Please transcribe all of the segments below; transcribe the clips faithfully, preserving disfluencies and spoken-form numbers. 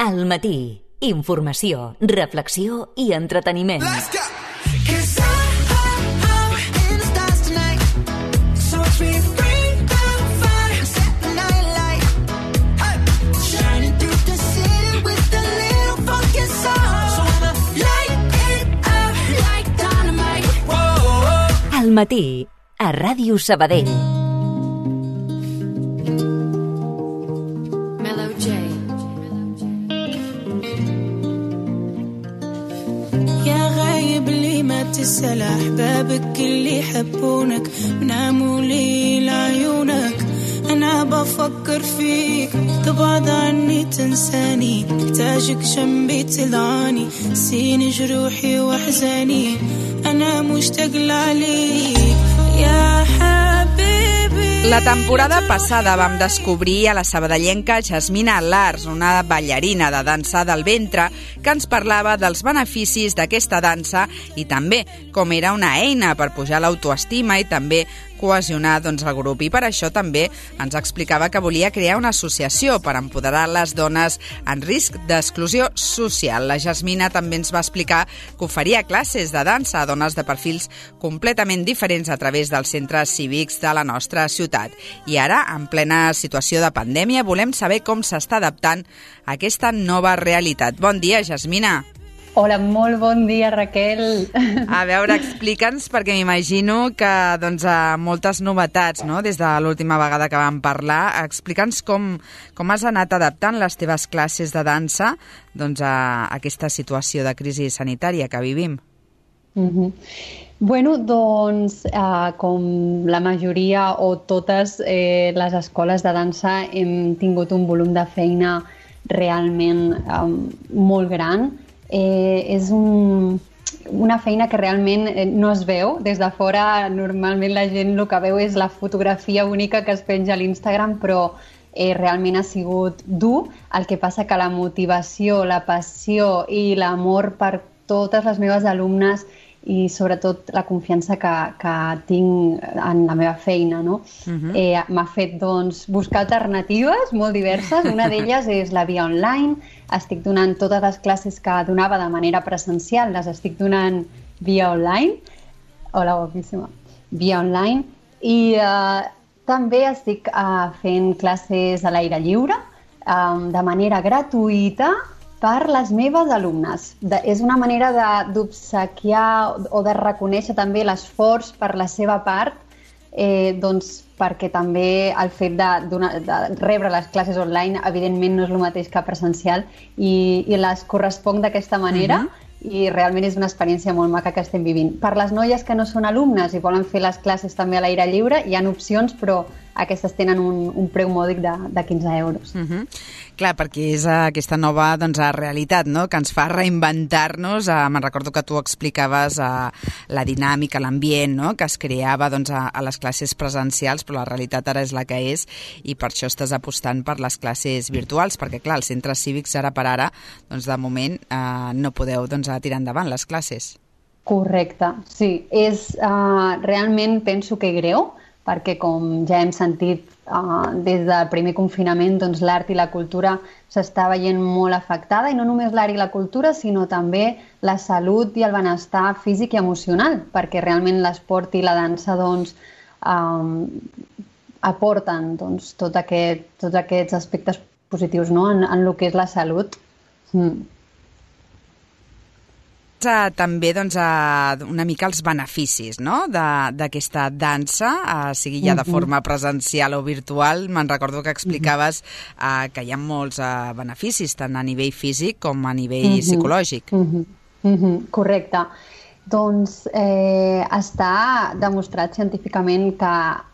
Al matí, informació, reflexió i entreteniment. Al matí, a Ràdio Sabadell. تسأل أحبابك اللي يحبونك مناموا لي لعيونك أنا بفكر فيك تبعد عني تنساني محتاجك جنبي تدعاني سين جروحي وأحزاني أنا مشتاق لعليك يا حبيبي. La temporada passada vam descobrir a la sabadellenca Jasmina Lars, una ballarina de dansa del ventre, que ens parlava dels beneficis d'aquesta dansa i també com era una eina per pujar l'autoestima i també cohesionar doncs, el grup. I per això també ens explicava que volia crear una associació per empoderar les dones en risc d'exclusió social. La Jasmina també ens va explicar que oferia classes de dansa a dones de perfils completament diferents a través dels centres cívics de la nostra ciutat. I ara, en plena situació de pandèmia, volem saber com s'està adaptant a aquesta nova realitat. Bon dia, Jasmina. Hola, molt bon dia, Raquel. A veure, explica'ns, perquè m'imagino que doncs, moltes novetats, no?, des de l'última vegada que vam parlar. Explica'ns com, com has anat adaptant les teves classes de dansa doncs, a aquesta situació de crisi sanitària que vivim. Mm-hmm. Bueno, doncs, eh, com la majoria o totes eh, les escoles de dansa hem tingut un volum de feina realment eh, molt gran. Eh, és un, una feina que realment no es veu. Des de fora, normalment la gent el que veu és la fotografia única que es penja a l'Instagram, però eh, realment ha sigut dur. El que passa que la motivació, la passió i l'amor per totes les meves alumnes i sobretot la confiança que, que tinc en la meva feina, no? Uh-huh. eh, m'ha fet doncs, buscar alternatives molt diverses. Una d'elles és la via online. Estic donant totes les classes que donava de manera presencial, les estic donant via online. Hola, guapíssima. Via online. I eh, també estic eh, fent classes a l'aire lliure eh, de manera gratuïta per les meves alumnes. De, és una manera d'obsequiar o de reconèixer també l'esforç per la seva part, eh, doncs perquè també el fet de, de rebre les classes online evidentment no és el mateix que presencial i, i les corresponc d'aquesta manera. Uh-huh. I realment és una experiència molt maca que estem vivint. Per les noies que no són alumnes i volen fer les classes també a l'aire lliure, hi ha opcions, però aquestes tenen un, un preu mòdic de, de quinze euros. Uh-huh. Clar, perquè és aquesta nova doncs, realitat, no?, que ens fa reinventar-nos. Uh, me'n recordo que tu explicaves uh, la dinàmica, l'ambient, no?, que es creava doncs, a, a les classes presencials, però la realitat ara és la que és i per això estàs apostant per les classes virtuals, perquè clar, els centres cívics ara per ara, doncs de moment uh, no podeu doncs, a tirar endavant les classes. Correcte, sí. És, uh, realment penso que greu, perquè com ja hem sentit uh, des del primer confinament, doncs l'art i la cultura s'està veient molt afectada, i no només l'art i la cultura, sinó també la salut i el benestar físic i emocional, perquè realment l'esport i la dansa doncs, um, aporten doncs, tot aquest, tots aquests aspectes positius, no?, en, en el que és la salut. Mm. També doncs, una mica els beneficis, no?, d'aquesta dansa, eh, sigui ja de forma presencial o virtual. Me'n recordo que explicaves eh, que hi ha molts eh, beneficis, tant a nivell físic com a nivell uh-huh. psicològic. Uh-huh. Uh-huh. Correcte. Doncs eh, està demostrat científicament que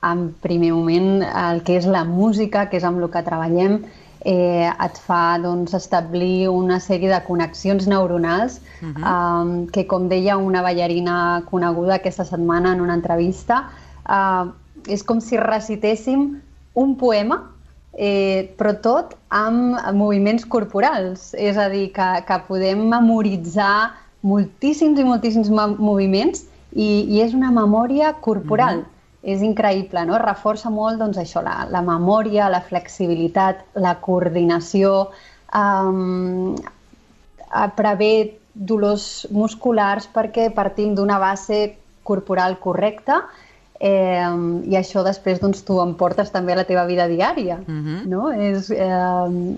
en primer moment el que és la música, que és amb el que treballem, Eh, et fa doncs, establir una sèrie de connexions neuronals uh-huh. um, que, com deia una ballarina coneguda aquesta setmana en una entrevista, uh, és com si recitéssim un poema, eh, però tot amb moviments corporals. És a dir, que, que podem memoritzar moltíssims i moltíssims moviments i, i és una memòria corporal. Uh-huh. És increïble, no? Reforça molt doncs, això, la, la memòria, la flexibilitat, la coordinació, um, prevé dolors musculars perquè partim d'una base corporal correcta, eh, i això després doncs, tu emportes també a la teva vida diària. Uh-huh. No? És, eh,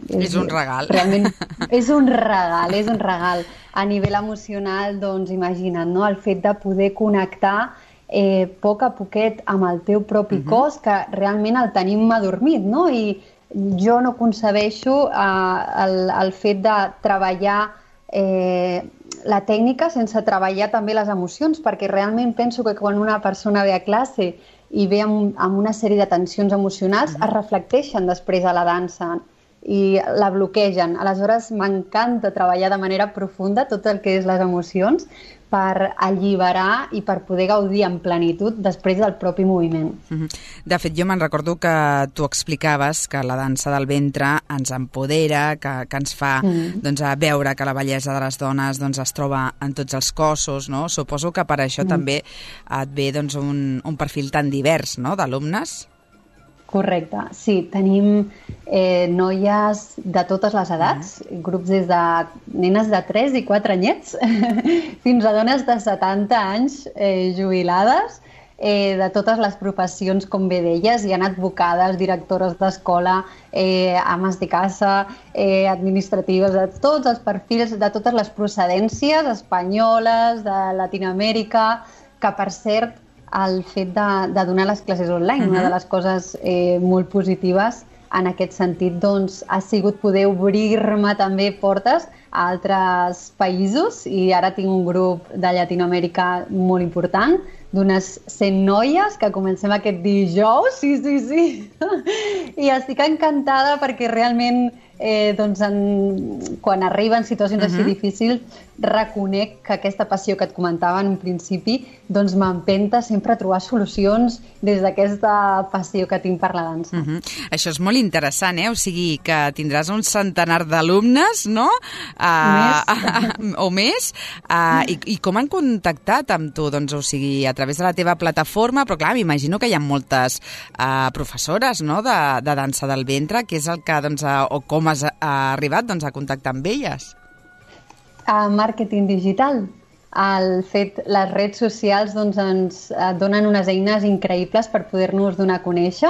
és, és un regal. Realment, és un regal, és un regal. A nivell emocional, doncs, imagina't, no? El fet de poder connectar eh, a poc a poquet amb el teu propi uh-huh. cos, que realment el tenim adormit, no? I jo no concebeixo eh, el, el fet de treballar eh, la tècnica sense treballar també les emocions, perquè realment penso que quan una persona ve a classe i ve amb, amb una sèrie de tensions emocionals, mm-hmm. es reflecteixen després a la dansa i la bloquegen. Aleshores, m'encanta treballar de manera profunda tot el que és les emocions per alliberar i per poder gaudir en plenitud després del propi moviment. Mm-hmm. De fet, jo me'n recordo que tu explicaves que la dansa del ventre ens empodera, que, que ens fa mm. doncs, a veure que la bellesa de les dones doncs, es troba en tots els cossos, no? Suposo que per això mm. també et ve doncs, un, un perfil tan divers, no?, d'alumnes. Correcte, sí, tenim eh, noies de totes les edats, mm. grups des de nenes de tres i quatre anyets fins a dones de setanta anys eh, jubilades, eh, de totes les professions, com bé deies. Hi ha advocades, directores d'escola, eh, ames de casa, eh, administratives, de tots els perfils, de totes les procedències espanyoles, de Latinoamèrica, que per cert, el fet de, de donar les classes online. Uh-huh. Una de les coses eh, molt positives en aquest sentit doncs, ha sigut poder obrir-me també portes a altres països, i ara tinc un grup de Llatinoamèrica molt important, d'unes cent noies que comencem aquest dijous, sí, sí, sí, i estic encantada perquè realment eh, doncs en, quan arriben situacions uh-huh. així difícils, reconec que aquesta passió que et comentava en un principi doncs m'empenta sempre a trobar solucions des d'aquesta passió que tinc per la dansa. Uh-huh. Això és molt interessant, eh? O sigui, que tindràs un centenar d'alumnes, no? Uh, més. o més. Uh, i, I com han contactat amb tu? Doncs, o sigui, a través de la teva plataforma, però clar, m'imagino que hi ha moltes uh, professores, no?, de, de dansa del ventre, que és el que, doncs, uh, o com has uh, arribat doncs, a contactar amb elles? A màrqueting digital. El fet, les redes socials doncs, ens donen unes eines increïbles per poder-nos donar a conèixer,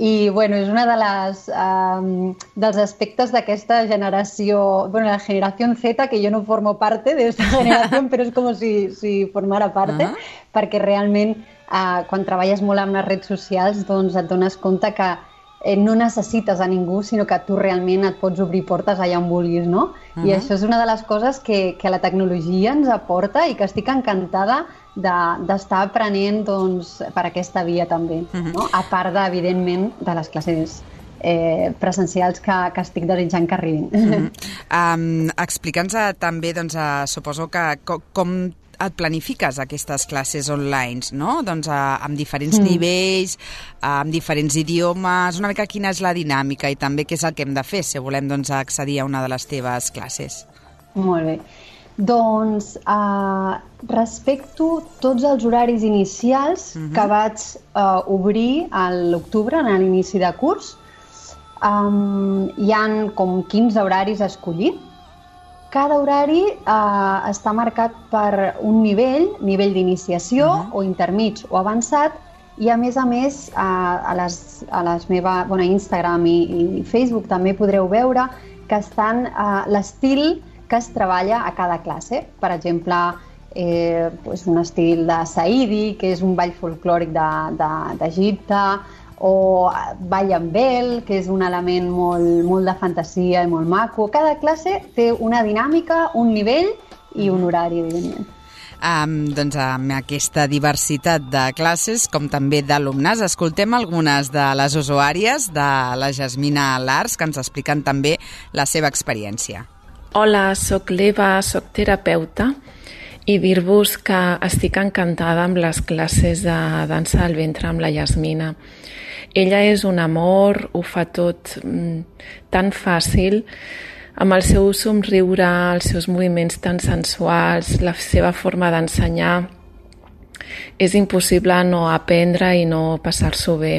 i bueno, és una de les um, dels aspectes d'aquesta generació, bueno, la generació Z, que jo no formo parte de esta generació, però és com si, si formara parte, uh-huh. perquè realment uh, quan treballes molt amb les redes socials doncs et dones compte que eh, no necessites a ningú, sinó que tu realment et pots obrir portes allà on vulguis, no? Uh-huh. I això és una de les coses que, que la tecnologia ens aporta i que estic encantada d'estar de, aprenent doncs, per aquesta via també, uh-huh. no? A part, de, evidentment, de les classes eh, presencials que, que estic desitjant que arribin. Uh-huh. um, Explica'ns també, doncs, uh, suposo que com, com et planifiques aquestes classes online, no? Doncs uh, amb diferents mm. nivells, uh, amb diferents idiomes, una mica quina és la dinàmica i també què és el que hem de fer si volem doncs, accedir a una de les teves classes. Molt bé. Doncs uh, respecto tots els horaris inicials uh-huh. que vaig uh, obrir a l'octubre, a l'inici de curs. Um, hi ha com quinze horaris a escollir. Cada horari eh, està marcat per un nivell, nivell d'iniciació, uh-huh. o intermig o avançat, i a més a més eh, a les, a les meva, bueno, Instagram i, i Facebook també podreu veure que estan eh, l'estil que es treballa a cada classe. Per exemple, eh, pues un estil de Saïdi, que és un ball folclòric d'Egipte, de, o ball amb vel, que és un element molt, molt de fantasia i molt maco. Cada classe té una dinàmica, un nivell i un horari, evidentment. Um, doncs amb aquesta diversitat de classes, com també d'alumnes, escoltem algunes de les usuàries de la Jasmina Lars, que ens expliquen també la seva experiència. Hola, soc l'Eva, soc terapeuta, i dir-vos que estic encantada amb les classes de dansa del ventre amb la Jasmina. Ella és un amor, ho fa tot mm, tan fàcil, amb el seu somriure, els seus moviments tan sensuals, la seva forma d'ensenyar. És impossible no aprendre i no passar-s'ho bé.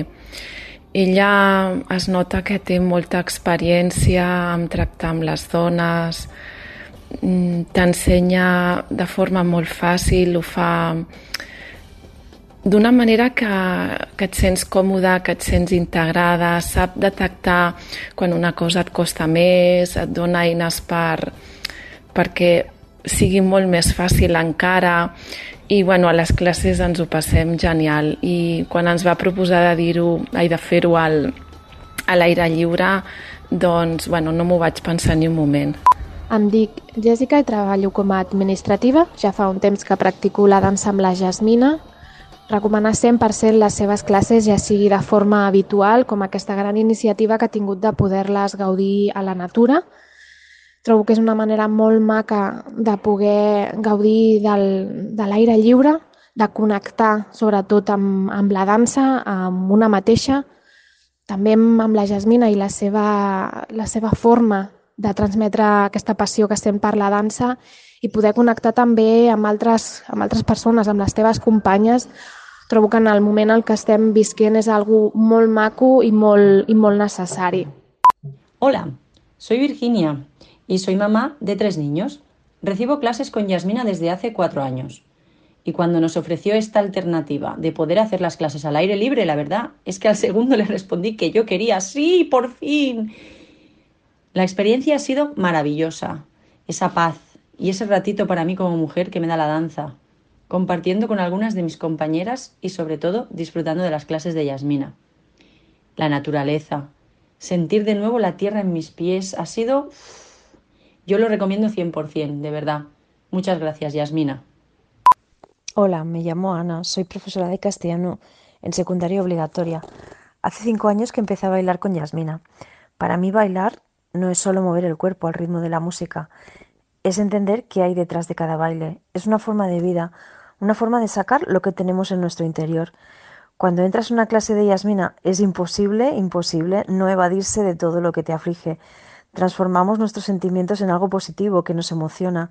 Ella es nota que té molta experiència en tractar amb les dones, t'ensenya de forma molt fàcil, ho fa d'una manera que, que et sents còmoda, que et sents integrada, sap detectar quan una cosa et costa més, et dona eines per, perquè sigui molt més fàcil encara. I bueno, a les classes ens ho passem genial. I quan ens va proposar de dir-ho, ai, de fer-ho al, a l'aire lliure, doncs bueno, no m'ho vaig pensar ni un moment. Em dic Jessica i treballo com a administrativa. Ja fa un temps que practico la dansa amb la Jasmina. Recomanar cent per cent les seves classes, ja sigui de forma habitual, com aquesta gran iniciativa que ha tingut de poder-les gaudir a la natura. Trobo que és una manera molt maca de poder gaudir del, de l'aire lliure, de connectar sobretot amb, amb la dansa, amb una mateixa, també amb la Jasmina i la seva, la seva forma de transmetre aquesta passió que sent per la dansa i poder connectar també amb altres, amb altres persones, amb les teves companyes. Trobo que en el moment en què estem visquent és algo molt maco i molt, i molt necessari. Hola, soy Virginia y soy mamá de tres niños. Recibo clases con Jasmina desde hace cuatro años. Y cuando nos ofreció esta alternativa de poder hacer las clases al aire libre, la verdad es que al segundo le respondí que yo quería, ¡sí, por fin! La experiencia ha sido maravillosa. Esa paz y ese ratito para mí como mujer que me da la danza, compartiendo con algunas de mis compañeras y sobre todo disfrutando de las clases de Jasmina. La naturaleza, sentir de nuevo la tierra en mis pies, ha sido... Yo lo recomiendo cien por cien, de verdad. Muchas gracias, Jasmina. Hola, me llamo Ana, soy profesora de castellano en secundaria obligatoria. Hace cinco años que empecé a bailar con Jasmina. Para mí bailar no es solo mover el cuerpo al ritmo de la música, es entender qué hay detrás de cada baile. Es una forma de vida, una forma de sacar lo que tenemos en nuestro interior. Cuando entras en una clase de Jasmina es imposible, imposible no evadirse de todo lo que te aflige. Transformamos nuestros sentimientos en algo positivo que nos emociona.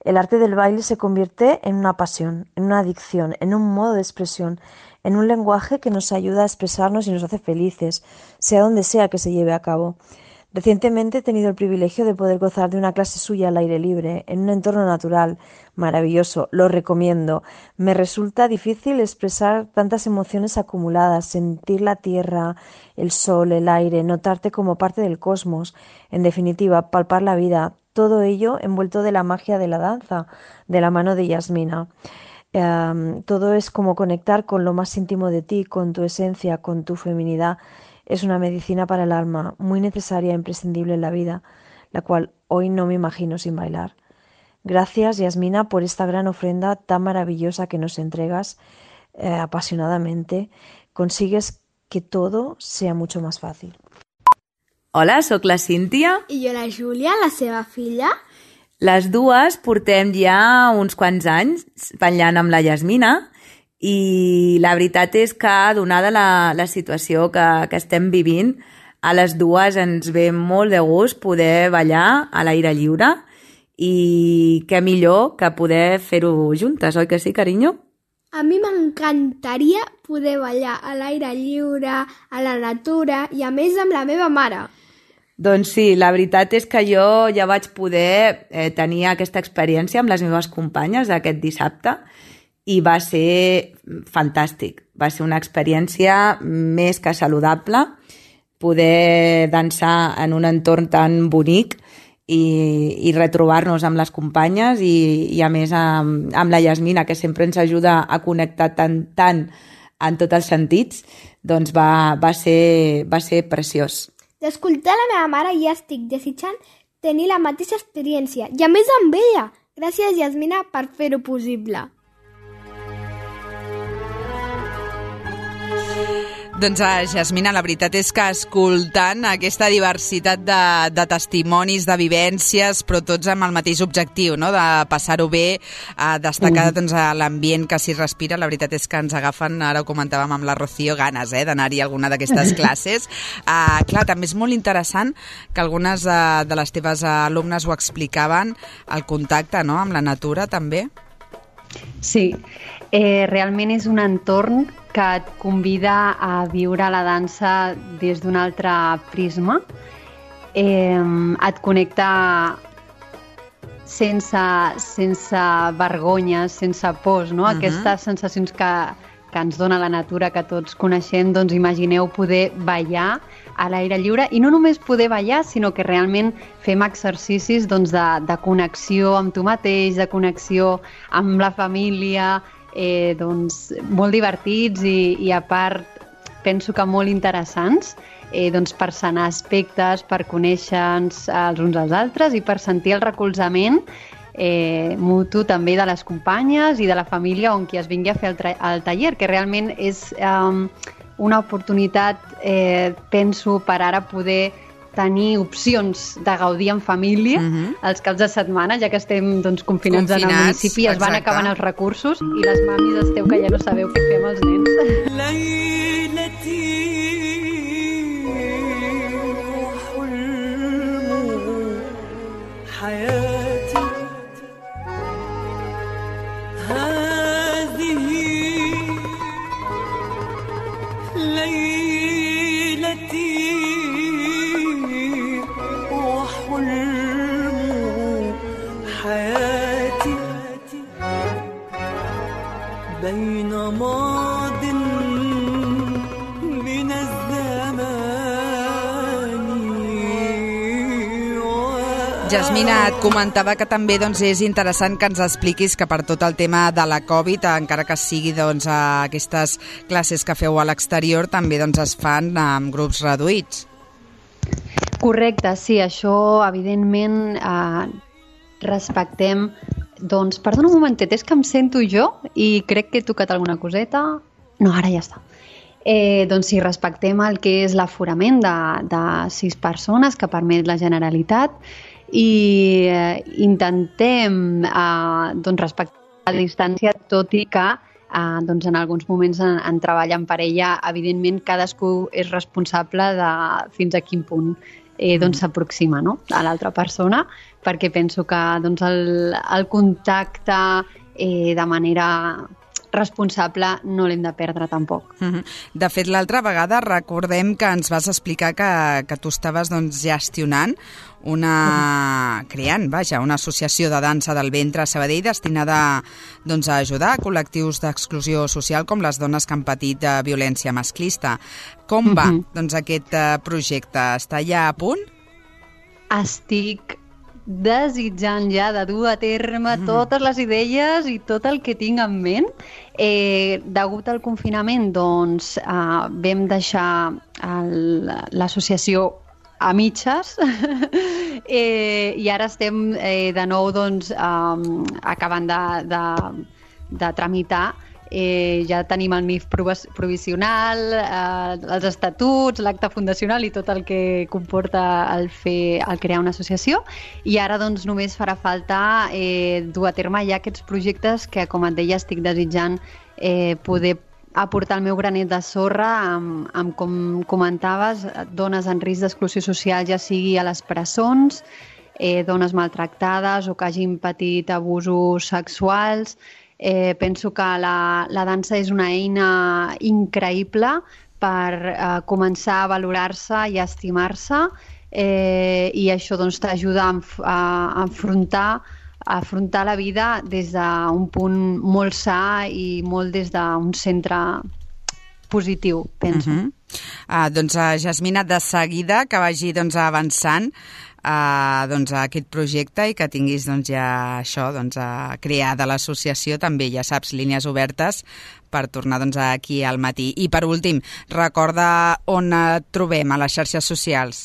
El arte del baile se convierte en una pasión, en una adicción, en un modo de expresión, en un lenguaje que nos ayuda a expresarnos y nos hace felices, sea donde sea que se lleve a cabo. Recientemente he tenido el privilegio de poder gozar de una clase suya al aire libre, en un entorno natural, maravilloso, lo recomiendo. Me resulta difícil expresar tantas emociones acumuladas, sentir la tierra, el sol, el aire, notarte como parte del cosmos, en definitiva, palpar la vida, todo ello envuelto de la magia de la danza, de la mano de Jasmina. Um, todo es como conectar con lo más íntimo de ti, con tu esencia, con tu feminidad. Es una medicina para el alma, muy necesaria e imprescindible en la vida, la cual hoy no me imagino sin bailar. Gracias, Jasmina, por esta gran ofrenda tan maravillosa que nos entregas eh, apasionadamente. Consigues que todo sea mucho más fácil. Hola, sóc la Cíntia. I jo la Júlia, la seva filla. Les dues portem ja uns quants anys ballant amb la Jasmina i la veritat és que, donada la, la situació que, que estem vivint, a les dues ens ve molt de gust poder ballar a l'aire lliure i què millor que poder fer-ho juntes, oi que sí, carinyo? A mi m'encantaria poder ballar a l'aire lliure, a la natura i a més amb la meva mare. Doncs sí, la veritat és que jo ja vaig poder eh, tenir aquesta experiència amb les meves companyes aquest dissabte i va ser fantàstic. Va ser una experiència més que saludable, poder dansar en un entorn tan bonic i, i retrobar-nos amb les companyes i, i a més amb, amb la Jasmina, que sempre ens ajuda a connectar tant, tant en tots els sentits, doncs va, va, ser, va ser preciós. D'escoltar la meva mare ja estic desitjant tenir la mateixa experiència i a més amb ella. Gràcies, Jasmina, per fer-ho possible. Doncs, Jasmina, la veritat és que escoltant aquesta diversitat de, de testimonis, de vivències, però tots amb el mateix objectiu, no?, de passar-ho bé, a destacar doncs, l'ambient que s'hi respira, la veritat és que ens agafen, ara ho comentàvem amb la Rocío, ganes eh, d'anar-hi a alguna d'aquestes classes. Uh, clar, també és molt interessant que algunes de, de les teves alumnes ho explicaven, el contacte, no?, amb la natura, també. Sí, eh, realment és un entorn que et convida a viure la dansa des d'un altre prisma. Eh, et connecta sense, sense vergonyes, sense pors, no? Uh-huh. Aquestes sensacions que, que ens dona la natura, que tots coneixem, doncs imagineu poder ballar a l'aire lliure, i no només poder ballar, sinó que realment fem exercicis doncs, de, de connexió amb tu mateix, de connexió amb la família, eh, doncs, molt divertits i, i a part penso que molt interessants, eh, doncs, per sanar aspectes, per conèixer-nos els uns als altres i per sentir el recolzament eh, mutu també de les companyes i de la família on qui es vingui a fer el, tra- el taller, que realment és eh, una oportunitat, eh, penso, per ara poder tenir opcions de gaudir en família uh-huh. els caps de setmana, ja que estem doncs, confinats, confinats en el municipi, es van acabant els recursos i les mamis esteu que ja no sabeu què fer amb els nens. Jasmina, et comentava que també doncs, és interessant que ens expliquis que per tot el tema de la Covid, encara que sigui doncs, aquestes classes que feu a l'exterior, també doncs, es fan amb grups reduïts. Correcte, sí, això evidentment eh, respectem. Doncs, perdona un momentet, és que em sento jo i crec que he tocat alguna coseta. No, ara ja està. Eh, doncs sí, respectem el que és l'aforament de, de sis persones que permet la Generalitat i eh, intentem eh, doncs respectar la distància, tot i que eh, doncs en alguns moments en, en treball en parella, evidentment cadascú és responsable de fins a quin punt eh, doncs s'aproxima, no?, a l'altra persona, perquè penso que doncs, el, el contacte eh, de manera responsable no l'hem de perdre tampoc. Uh-huh. De fet, l'altra vegada recordem que ens vas explicar que, que tu estaves doncs, gestionant una... Uh-huh. creant, vaja, una associació de dansa del ventre a Sabadell destinada doncs, a ajudar a col·lectius d'exclusió social com les dones que han patit de violència masclista. Com va uh-huh. doncs, aquest projecte? Està ja a punt? Estic desitjant ja de dur a terme totes les idees i tot el que tinc en ment. Eh, degut al confinament, doncs, eh, vam deixar el, l'associació a mitges eh, i ara estem eh, de nou doncs, eh, acabant de, de, de tramitar. Eh, ja tenim el M I F provisional, eh, els estatuts, l'acte fundacional i tot el que comporta el, fer, el crear una associació, i ara doncs només farà falta eh, dur a terme ja aquests projectes que, com et deia, estic desitjant eh, poder aportar el meu granet de sorra amb, amb com comentaves, dones en risc d'exclusió social, ja sigui a les presons, eh, dones maltractades o que hagin patit abusos sexuals. Eh, penso que la, la dansa és una eina increïble per eh, començar a valorar-se i a estimar-se, eh, i això doncs, t'ajuda a, a, a, afrontar, a afrontar la vida des d'un punt molt sa i molt des d'un centre positiu, penso. Uh-huh. Ah, doncs, uh, Jasmina, de seguida que vagi doncs, avançant Uh, doncs, a aquest projecte i que tinguis doncs, ja això doncs, a crear de l'associació, també ja saps, línies obertes per tornar doncs, aquí al matí. I per últim, recorda on et trobem a les xarxes socials.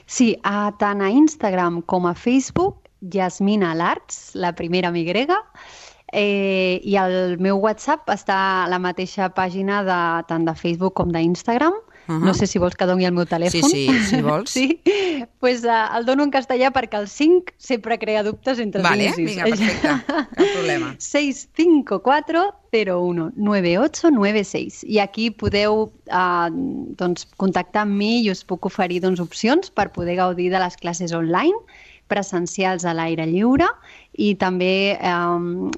Sí, a, tant a Instagram com a Facebook, Jasmina Larts, la primera amb Y, eh, i el meu WhatsApp està a la mateixa pàgina de, tant de Facebook com d'Instagram. Uh-huh. No sé si vols que doni el meu telèfon. Sí, sí, si vols. Sí? Pues, uh, el dono en castellà perquè el cinc sempre crea dubtes entre vale, els inicis. Vinga, perfecte, cap problema. seis cinco cuatro cero uno nueve ocho nueve seis. I aquí podeu uh, doncs, contactar amb mi i us puc oferir doncs, opcions per poder gaudir de les classes online, presencials a l'aire lliure, i també um,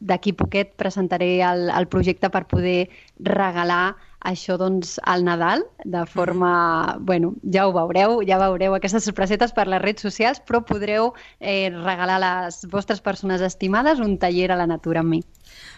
d'aquí poquet presentaré el, el projecte per poder regalar això doncs al Nadal de forma... Mm. Bueno, ja ho veureu, ja veureu aquestes sorpresetes per les redes socials, però podreu eh, regalar a les vostres persones estimades un taller a la natura amb mi.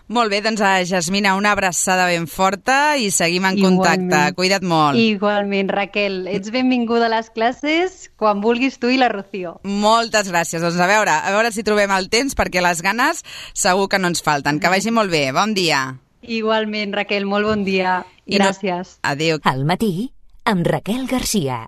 Molt bé, doncs a Jasmina una abraçada ben forta i seguim en Igualment. contacte. Cuida't molt. Igualment, Raquel. Ets benvinguda a les classes quan vulguis tu i la Rocío. Moltes gràcies. Doncs a veure, a veure si trobem el temps perquè les ganes segur que no ens falten. Que vagi molt bé. Bon dia. Igualment, Raquel, molt bon dia. Gràcies. No... Adéu. Al matí, amb Raquel Garcia.